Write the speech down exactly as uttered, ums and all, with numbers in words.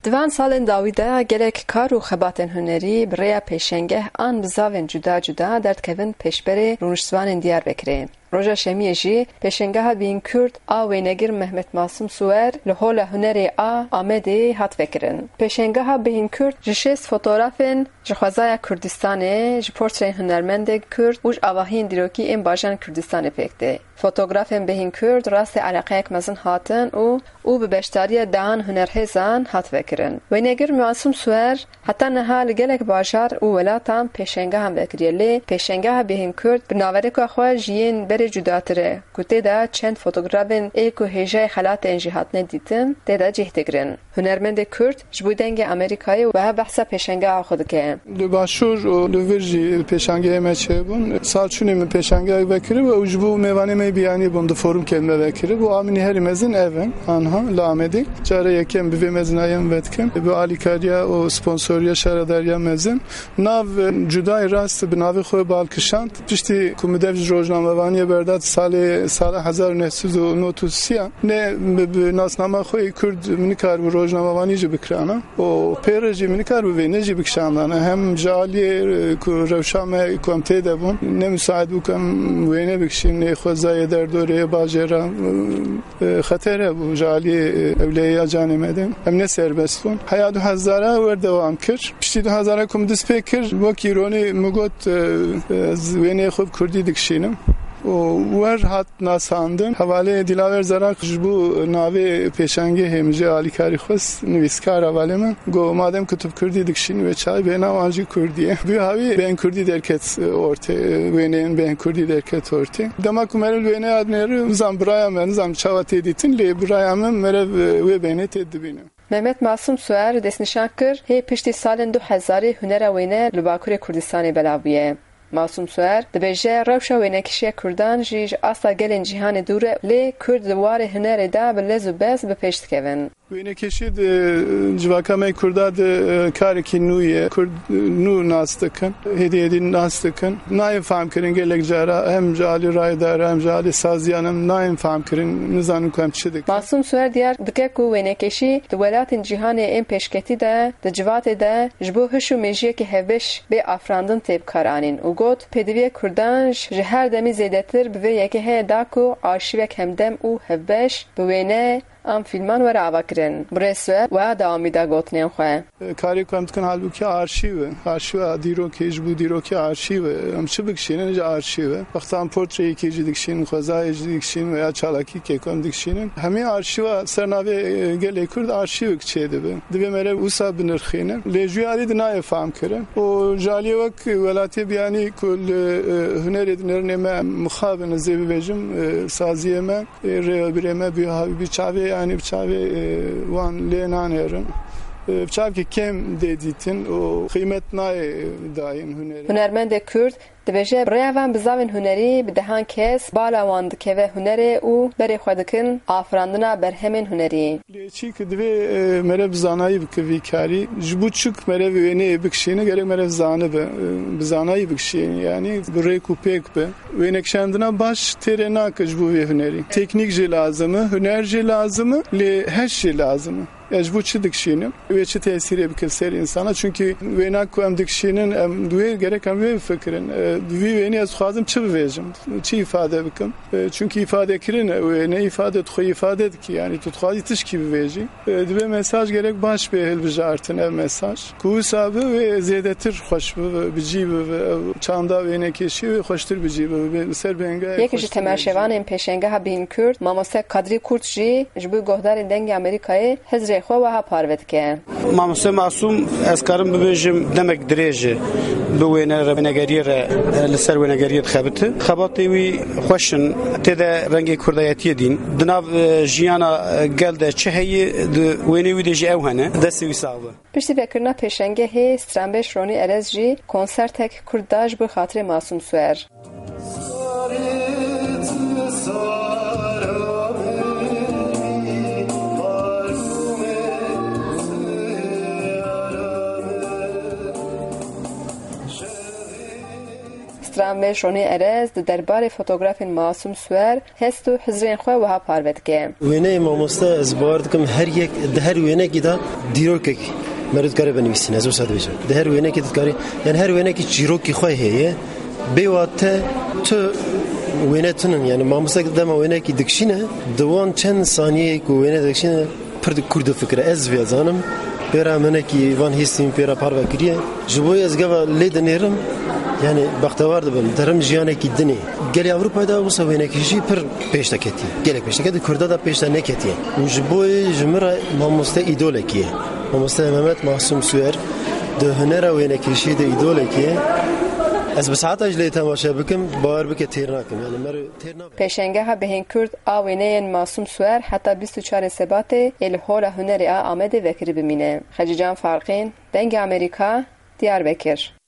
Di van salên dawî de gelek kar û xebatên hunerî bi rêya pêşengeh an bizavên cuda cuda derdikevin pêşberê rûniştvanên Diyarbekirê. Roja Şemiyê jî pêşengeha Bîn Kurd a wênegir Mehmet Masum Suwer li Hola Hunerê a Amedê hat vekirin. Pêşengeha Bîn Kurd ji şêst fotografên ji xwezaya Kurdistanê, ji portreyên hunermendên Kurd û ji avahiyên dîrokî ên bajarên Kurdistanê pêk tê. Fotografên Bêhîn Kurd rastê eleqeyek mezin hatin û û bi beşdariya dehan hunerhêzan hat vekirin. Wênegir Masum Suwer heta niha li gelek bajar û welatan pêşengehan vekiriye, lê pêşengeha Bêhîn Kurd bi naverêka xwe ji yên berê cudatir e, ku tê de çend fotografên ê ku hêjayê xelatên jî hatine dîtin, tê de cih digirin. Hunermendê Kurd ji bo Dengê Amerîkayê wiha behsa pêşengeha xwe dike. Li başûr û li vir jî pêşangehê me çêbûn. Sal çûnê min pêşangehek vekiribû û ji bo mêvanê me biyanî bûn, di forumkê me vekiribû. Amînî herî mezin ev in, anha li Amedê. Cara yekem bi vê mezinayê min vedikim. Bi alîkariya û sponsoriya şaredariya mezin. Nav, e, cudayê rast bi navê xwe bal kişand. Piştî ku min dev ji rojnamevaniyê berda, salê, sala hezar û neh sed û nod û sê, ne bi, bi nasnama xwe yê Kurd min nikaribû rojnamevanî jî bikirana. û pê re jî min nikar bi wêne jî bikişandane. Hem ji aliyê, e, ku rewşa me ku em tê de bûn, ne misaid bû ku em wêne bikişîn, nê xwezayê derdorê bajêra, e, e, xeter hebû ji aliyê, e, ewleya canê me de. Em ne serbest bûn. Heya du hezara wer dewam kir. Piştî du hezara ku min dest pê kir, wek îronî min got, e, e, ez wêneyê xwe bi kurdî dikişînim. û wer hat nasandin. Hevalê Dilaver Zerak ji bo navê pêşangehê min jê alîkarî xwest, nivîskar hevalê min. Got, madem ku tu bi kurdî dikişînî wê çaxê bêhna wan jî kurdî ye. Bi hawî bêhn kurdî derket ortê, wêneyên bêhn kurdî derket ortê. Dema ku meriv li wêneya dinêre, nizam biraya me, nizam çawa tê dîtin, lê biraya min meriv wê bêhnê tê dibîne. Mehmet Masum Suer destnîşan kir, hê piştî salên du hezarî hunera wêne li Bakurê Kurdistanê belav bûye. Masum Suer dibêje, rewşa wênekişiya Kurdan jî ji asta gelên cîhanê dûr e, lê Kurd di warê hunerê de bi lez û bez bi pêş dikevin. Wênekişî di civaka me Kurda de, e, karekî nû ye. Kurd, e, nû nas dikin, hêdî hêdî nas dikin. Nayên fehmkirin gelek cara, hem ji alî rayedara, hem ji alî saziyan em nayên fehmkirin, nizanin ku em çi dikin. Masum Suer diyar dike ku wênekişî di welatên cîhanê ên pêşketî de, di civatê de ji bo hiş û mêjiyekî hevbeş bê afirandin tê bikaranîn û got, pêdiviya Kurdan ji her demî zêdetir bi vê yekehê da ku arşîvek hemdem û hevbeş bi wêne an fîlman were avakirin. Birêz Suer wiha dewamî da gotinên xwe. Karê ku em dikin halbûkî arşîv e. Arşîva dîrokê, ji bo dîrokê arşîv e. Em çi bikişînin ji arşîv e. Wexta em portreyekê jî dikişînin, xwezayê jî dikişînin veya çalakîkê ku em dikişînin. Hemî arşîva ser navê, e, gelê Kurd arşîvek çêdibe. Divê meriv wisa binirxîne. Lê ji wî alî de nayê fehmkirin. Û ji aliyê wek welatiyê biyanî ku li, e, hunerê dinêrin ê me mixabin, ez ê bibêjim, e, saziyê me. Ê rêvebirê me bi, bi çavê, yanî bi çavê, e, wan lê nanêrin. E, bi çavkî kêm dê dîtin û qîmet nayê dayîn hunerê. Hunermendê Kurd dibêje, bi rêya van bizavên hunerî bi dehan kes bala wan dikeve hunerê û berê xwe dikin afirandina berhemên hunerî. Lê çî ki divê, e, meriv bi zanayî bike vî karî. Ji bo çik meriv wêneyê bikişîne, gerek meriv zanibe, e, bi zanayî bikişîne, yanî bi rêk û pêk be. Wênekişandina baş têrê nake ji bo vê hunerî. Teknîk jî lazim e, huner jî lazim e, lê heş jî lazim e. Ez ji bo çi dikişînim? Wê çi tesîrê bike ser însana? Çunkî wêna ku em dikişînin, em wê gerek em wê bifikirin. E, di vî wênê ez dixwazim çi bivêjim? Çi îfade bikim? E, çunkî îfadekirin e wêne, îfade tu xwe îfade dikî. Yanî tu dixwazî tişkî bivêjî. E, divê mesaj gerek baş bê hilbijartin ev mesaj. Ku wisa bi wê zêdetir xweş bibe, bi cî bibe, ev çanda wênekêşî wê xweştir bi cî bibe, bi ser bênga. Yek ji temaşevanên pêşengeha Bîn Kurd, mamoste Kadrî Kurt jî ji bo guhdarên Dengê Amerîkayê hizrê xwe wiha parve dike. Mamoste Masûm, ez karim bibêjim demek dirêj e bi wêne re, wênegeriyê re, e, li ser wênegeriyê dixebite. Xebatê wî xweş in, tê de rengê kurdayetiyê dîn. Di nav, e, jiyana, e, gel de çi heye, di wênê wî de jî ew hene. Destê wî sax be. Piştî vekirina pêşengehê, stranbêj Ronî Erez jî konsertek kurd da ji bo xatirê Masûm Suer. Rambêj Ronî Erez di derbarê fotografên Masûm Suwer hest û hizrên xwe wiha parve dike. Wêneyê mamoste, ez bawer dikim her yek, di her wênekî de dîrokek meriv dikare binivîsîne, ez wisa dibêjim. Di her wênekî dikarî, yani her wênekî çîrokî xwe heye. Bê wa te tu wêne tinin, yani mamoste dema wênekî dikişîne, di wan çend saniyeyê ku wêne dikişîne, pir di kûr difikire. Ez vê zanim, pêra minekî van hîstîn pêra parve kiriye. Ji bo ez gava lê dinêrim, yani bextewar dibim. Derim jiyanekî dinê. Gelê Ewropayê de wisa wênekî jî pir pêş de ketiye. Gelek pêş de ketiye, Kurda da pêş de neketiye. Û ji bo ji min re mamoste îdolekî ye. Mamoste Mehmet Masum Suer di hunera wênekirişî de îdolekî ye. Ez bi saeta ji lê temaşe bikim, bawer bike têr nakim. Yani mer têr nabe. Pêşengeha Bihên Kurd a wêneyên Masum Suer heta bîst û çarê Sebatê ê li Hola Hunerê a Amedê vekirî bimîne. Xecîcan Farqîn, Dengê Amerîka, Diyarbekir.